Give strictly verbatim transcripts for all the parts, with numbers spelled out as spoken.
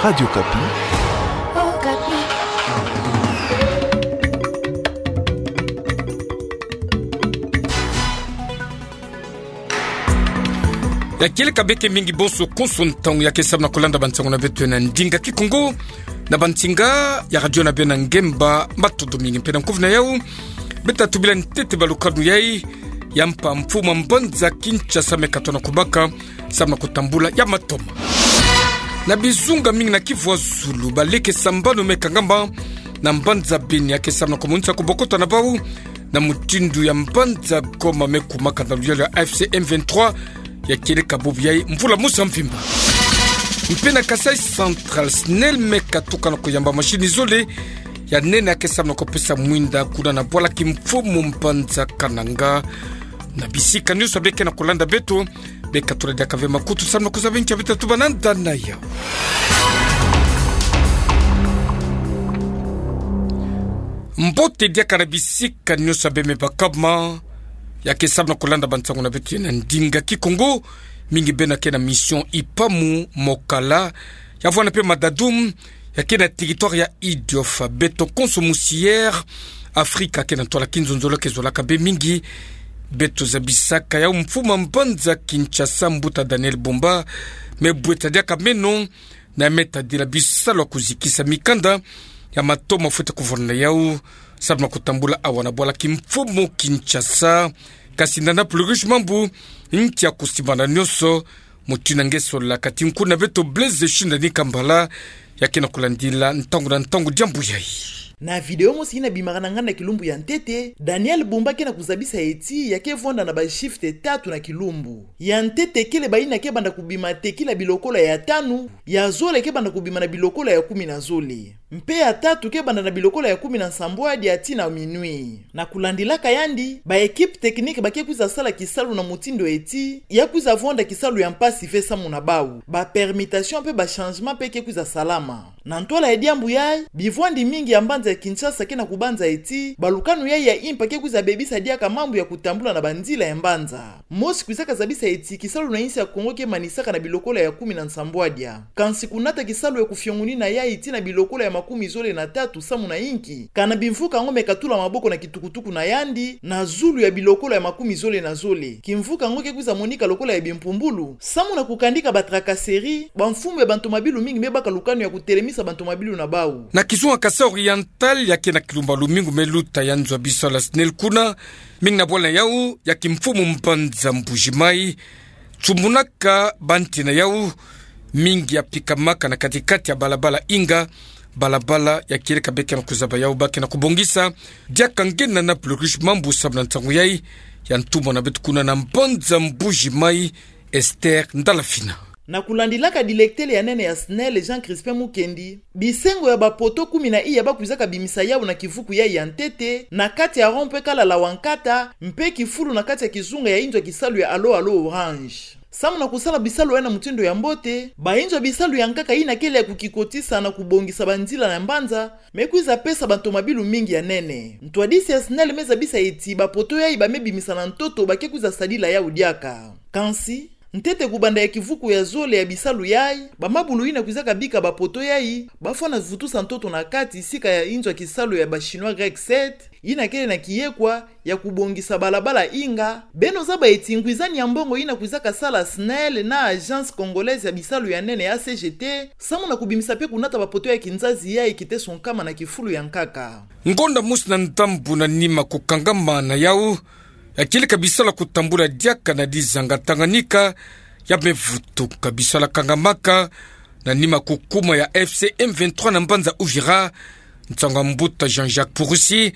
Radio Okapi. Ya kieleka beke mingi bonso konso ntangu ya ke sambana kolanda bansango na beto na ndinga Kikongo na bansinga ya radio na bena ngemba. Matondo mingi mpe na nkufi na yau. Beta tubila ntete balukanu yai ya mpa mfumu a mbanza Kinshasa me katona kubaka sambana kutambula ya matoma. Na bizunga mingi na Kivu ya zulu, baleke sambano me kangama na mbanza Beni ya ke sambana kumonisa kubokota na bau na mutindu ya mbanza Goma me kumaka na luyalu ya A F C M vingt-trois, ya kieleka bubu yai mvula mosi ya mvimba. Mpe na Kasaï Central, SNEL me katuka na kuyamba mashini zole ya nene ya ke sambana kupesa mwinda kuna na bwala kimfumu mbanza Kananga. Na bisika nionso beke na kolanda beto, beka tula diaka ve makutu sambana kuzaba nkia beta tuba na nda na yau. Mbote diaka na bisika nionso beme bakama ya ke sambana kolanda bansango na beto na ndinga Kikongo, mingi beno ke na mission Ipamu, Mokala, ya vwanda mpe Madadum, ya ke na territoire ya Idiofa. Beto konso musi Air Afrika ke na ntwala kinzonzolo ke zolaka be mingi. Beto zabisaka yau mfumu a mbanza Kinshasa, mbuta Daniel Bumba, me bweta diaka meno na me tadila bisalu ya kuzikisa mikanda ya matoma fwete kuvwanda na yau sambana kutambula awa na bwala kimfumu Kinshasa. Kasi nda na Napoléon Rudge Mambu, nkia kusimbana nionso, mutindu nge sola kati nkuna beto Blaise Shindani Kambala, ya ke na kulandila ntangu na ntangu diambu yai. Na video mosi ina bimaka na nganda kilumbu ya ntete, Daniel Bumba ke na kuzabisa eti ya ke vwanda na ba shift tatu na kilumbu. Ya ntete kele baina ke banda kubima tekila bilokola ya tanu, ya zole ke banda kubima na bilokola ya kumi na zole. Mpe ya tatu ke banda na bilokola ya kumi na nsambwadi tii na minuit. Na kulandilaka yandi, ba équipe technique ba ke kwiza sala kisalu na mutindu eti ya kwiza vwanda kisalu ya mpasi ve samu na bau. Ba permutation mpe ba changement mpe ke kwiza salama. Na ntwala ya diambu yai, bivwandi mingi ya mbanza ya Kinshasa ke na kubanza eti balukanu yai ya impa ke kwiza bebisa diaka mambu ya kutambula na banzila ya mbanza. Mosi kwizaka zabisa eti kisalu na insi ya Kongo ke manisaka na bilokola ya kumi na nsambwadia. Kansi kunata kisalu ya kufiongunina yai tii na bilokola ya makumi zole na tatu samu na inki, kana bimvuka ngo me katula maboko na kitukutuku na yandi na zulu ya bilokola ya makumi zole na zole. Kimvuka ngo ke kwiza monika lokola ya bimpumbulu samu na kukandika ba tracasserie, bamfumu ya bantomabilu mingi me baka lukanu ya kutelemisa bantomabilu na bau. Na kizunga Kasaï Oriental, ya ke na kilumbu ya lumingu me luta ya nzo ya bisalu ya SNEL kuna, mingi na bwala na yau ya kimfumu mbanza Mbuji-Mayi, tsumunaka ba nti na yau, mingi ya pikamaka na katikati ya balabala Inga, balabala ya kieleka beke na kuzaba yau ba ke na kubongisa diaka nge na Napoléon Rudge Mambu sambana nsangu yai ya ntumwa na beto kuna na mbanza Mbuji-Mayi, Esther Ndalafina. Na kulandilaka directeur ya nene ya SNEL, Jean Crispin Mukendi, bisengo ya ba poteau kumi na iya ba kwizaka bimisa yau na kivuku yai ya ntete, na kati ya rond-point Kalala Wankata, mpe kifulu na kati ya kizunga ya inzo ya kisalu ya Alo Alo Orange. Samu na kusala bisalu yai na mutindu ya mbote, ba inzo ya bisalu ya nkaka ina kele ya kukikotisa na kubongisa banzila na mbanza, me kwiza pesa bantomabilu mingi ya nene. Ntwadisi ya SNEL me zabisa eti ba poteau yai ba me bimisa na ntoto ba ke kwiza sadila yau diaka. Kansi, ntete kubanda ya kivuku ya zole ya bisalu yai, bamabulu ina kwizaka bika ba poteau yai, ba fwana vutusa ntoto na kati sika ya inzo ya kisalu ya ba Chinois Grec sept, ina kele na kiyekwa ya kubongisa balabala Inga. Beno zaba eti ngwizani ya mbongo ina kwizaka sala SNEL na Agence Congolaise ya Bisalu ya Nene, A C G T, samu na kubimisa mpe kunata ba poteau ya kinzazi yai kiteso nkama na kifulu ya nkaka. Ngonda mosi na ndambu na nima kukangama na yau, ya kieleka bisalu ya kutambula diaka na dizanga Tanganyika, ya me vutuka. Bisalu ya kangamaka na nima kukuma ya F C M vingt-trois na mbanza Uvira. Nsangu ya mbuta Jean-Jacques Purusi,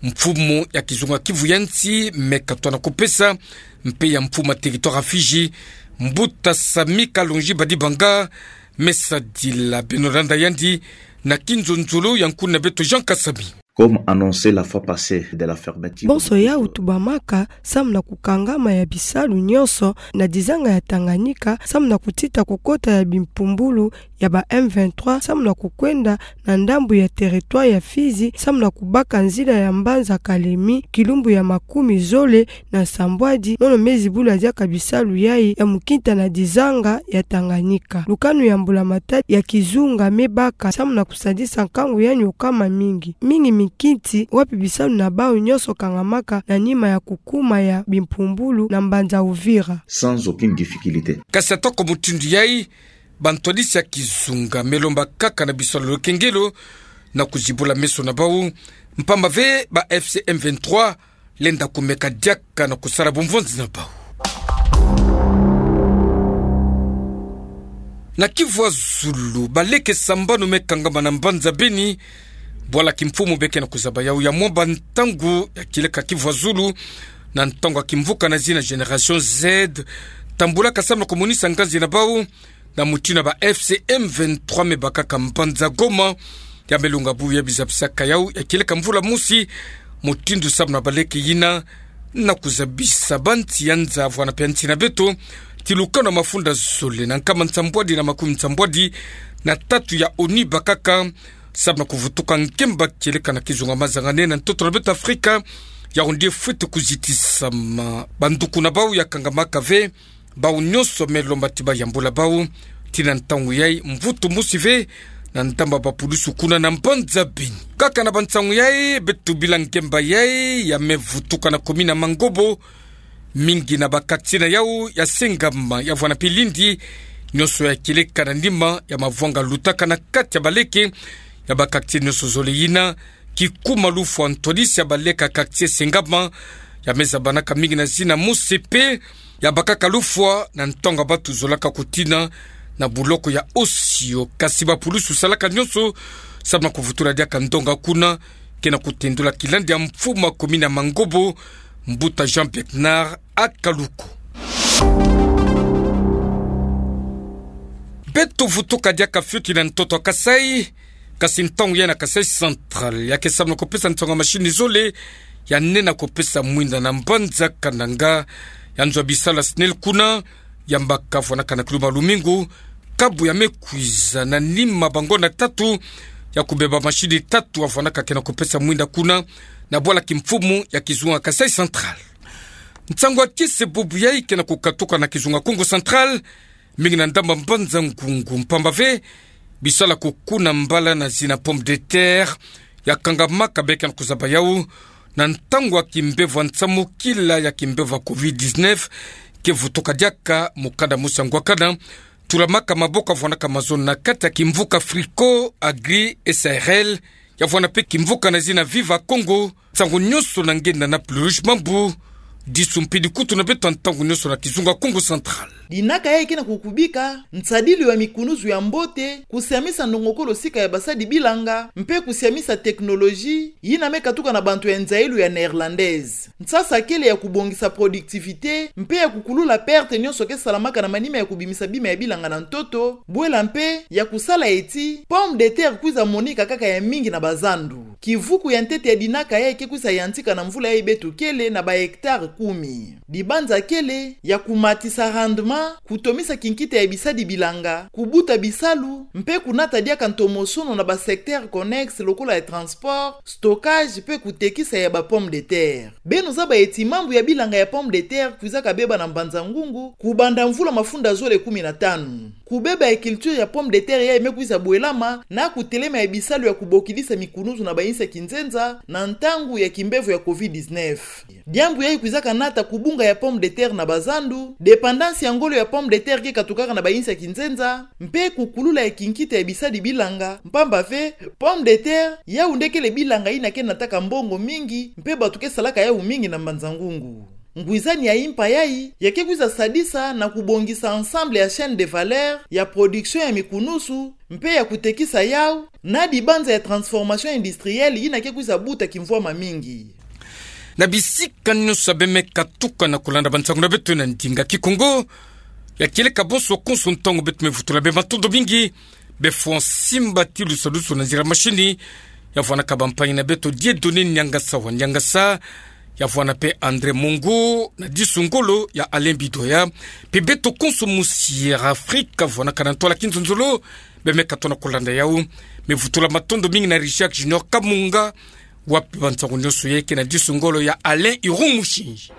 mfumu ya kizunga Kivu ya nsi, me katona kupesa, mpe ya mfumu ya territoire ya Fidji, mbuta Samy Kalonji Badibanga, me sadila. Beno landa yandi na kinzonzolo ya nkuna beto Jean Kasami. Comme annoncé la fois passée de la fermeture. Bonso yau tubamaka samu na kukangama ya bisalu nyonso na dizanga ya Tanganyika, samu na kutita kukota ya bimpumbulu ya ba M vingt-trois, samu na kukwenda na ndambu ya territoire ya Fizi, samu na kubaka nzila ya mbanza Kalemi, kilumbu ya makumi zole na nsambwadi, mono me zibula diaka bisalu yai ya mukinta na dizanga ya Tanganyika. Lukanu ya mbulamatadi ya kizunga me baka samu na kusadisa nkangu ya nioka mamingi. Mingi mikinti wapi bisalu na bau nyonso kangamaka na nima ya kukuma ya bimpumbulu na mbanza Uvira. Sans aucune difficulté. Kasi atako mutindu yai, bantwadisi ya kizunga me lomba kaka na bisalu ya lukengelo na kuzibula meso na bau, mpamba ve ba F C M vingt-trois lenda kumeka diaka na kusala bumvonzi na bau. Na Kivu ya Zulu, baleke sambanu me kangama na mbanza Beni, bwala kimfumu be ke na kuzaba yau ya mwamba ntangu ya kieleka Kivu ya Zulu, na ntangu ya kimvuka na zina Génération Z tambulaka samu na kumonisa nganzi na bau, na mutindu ya ba F C M vingt-trois me bakaka mbanza Goma, ya me lunga bubu ya bizabisaka yau ya kieleka mvula mosi, mutindu samu na baleke yina, na kuzabisa bansi ya nza vwana mpe ya nsi na beto, ti lukanu ya mafunda zole na nkama nsambwadi na makumi nsambwadi na tatu ya ONU bakaka, samu na kuvutuka ngemba kieleka na kizunga mazangane na ntoto na beto Afrika, yau nde fwete kuzitisama. Banduku na bau ya kangamaka ve, bau nyonso me lomba ti bayambula bau, ti na ntangu yai mvutu mosi ve, na ndambu ya bapulusu kuna na mbanza Beni. Kaka na bansangu yai, beto bila ngemba yai ya me vutuka na commune ya Mangobo, mingi na ba quartier na yau ya sengama, ya vwana mpe lindi, nyonso ya kieleka na nima ya mavwanga lutaka na kati ya baleke ya ba quartier nyonso zole yina, kikuma lufwa ntwadisi ya baleke ya quartier sengama, ya me zabanaka mingi na zina Mosepe, ya bakaka lufwa na ntangu ya batu zolaka kutina na buloko ya Osio. Kasi bapulusu salaka nyonso samu na kuvutula diaka ndonga kuna, ke na kutendula kilandi ya mfumu ya commune ya Mangobo, mbuta Jean Bernard Akaluko. Beto vutuka diaka fioti na ntoto ya Kasaï, kasi ntangu yai na Kasaï Central, ya ke samu na kupesa nsangu ya mashini zole ya nena kupesa mwinda na mbanza Kananga, ya nzo ya bisalu ya SNEL kuna, ya mbaka vwanaka na kilumbu ya lumingu, kabu ya me kwiza na nima bangonda tatu ya kubeba mashini tatu ya vwanaka ke na kupesa mwinda kuna, na bwala kimfumu ya kizunga Kasaï Central. Nsangu ya kese bubu yai ke na kukatuka na kizunga Kongo Central, mingi na ndambu ya mbanza Ngungu, mpamba ve bisalu ya kukuna mbala na zina pomme de terre ya kangamaka, be ke na kuzaba yau na ntangu ya kimbevo ya nsamukila ya kimbevo ya covid dix-neuf, ke vutuka diaka mukanda mosi ya ngwakana, tulamaka maboko ya vwanaka mazono na kati ya kimvuka Frico Agri S A R L, ya vwana mpe kimvuka na zina Viva Congo. Nsangu nyonso na nge na Nana Pluge Mambu, disu mpidi kutu na beto ntangu nyonso na kizunga Kongo Central. Dinaka yai ke na kukubika nsadilu ya mikunuzu ya mbote, kusiamisa ndongokolo sika ya basadi bilanga, mpe kusiamisa technologie yina me katuka na bantu ya nzayilu ya néerlandaise. Nsasa kele ya kubongisa productivité, mpe ya kukulula perte nyonso ke salamaka na manima ya kubimisa bima ya bilanga na ntoto, bwela mpe ya kusala eti pomme de terre kwiza monika kaka ya mingi na bazandu. Kivuku ya ntete ya dinaka yai ke kwiza yantika na mvula yai beto kele na ba hectare kumi. Dibanza kele ya kumatisa rendement, kutomisa kinkita ya bisadi bilanga, kubuta bisalu, mpe kunata diaka ntomosono na ba secteur connexe lokola ya transport, stockage mpe kutekisa ya ba pomme de terre. Beno zaba eti mambu ya bilanga ya pomme de terre kwizaka beba na mbanza Ngungu kubanda mvula mafunda zole kumi na tanu. Kubeba ya culture ya pomme de terre yai me kwiza bwelama na kutelema ya bisalu ya kubokidisa mikunuzu na bayinsi ya kinzenza na ntangu ya kimbevo ya covid dix-neuf. Diambu yai kwizaka nata kubunga ya pomme de terre na bazandu, dépendance ya ngolo ya pomme de terre ke katukaka na bayinsi ya kinzenza, mpe kukulula ya kinkita ya bisadi bilanga, mpamba ve pomme de terre yau nde kele bilanga yina ke nataka mbongo mingi, mpe bato ke salaka yau mingi na mbanza Ngungu. Ngwizani ya impa yai, ya ke kwiza sadisa na kubongisa ensemble ya chaîne de valeur ya production ya mikunuzu, mpe ya kutekisa yau na dibanza ya transformation industrielle yina ke kwiza buta kimvwama mingi. Na bisika nyonso ya beno me katuka na kulanda bansangu na beto na ndinga Kikongo, ya kieleka bonso konso ntangu beto me vutula beno matondo mingi. Beno fwa simba ti lusalusu na nzila mashini, Ya vwanda ka bampangi na beto Dieudonné Niangasa wa Niangasa, ya vwanda pe André Mongo na disu ngolo ya Alain Bidoya, pe beto konso mosi ya Afrika vwanda ka na ntola kinzonzolo. Beme ka tona kolanda yau, me vutula matondo mingi na Richard Junior Kamunga, wa pe bansango nionso yeke na disu ngolo ya Alain Irung Musinzi.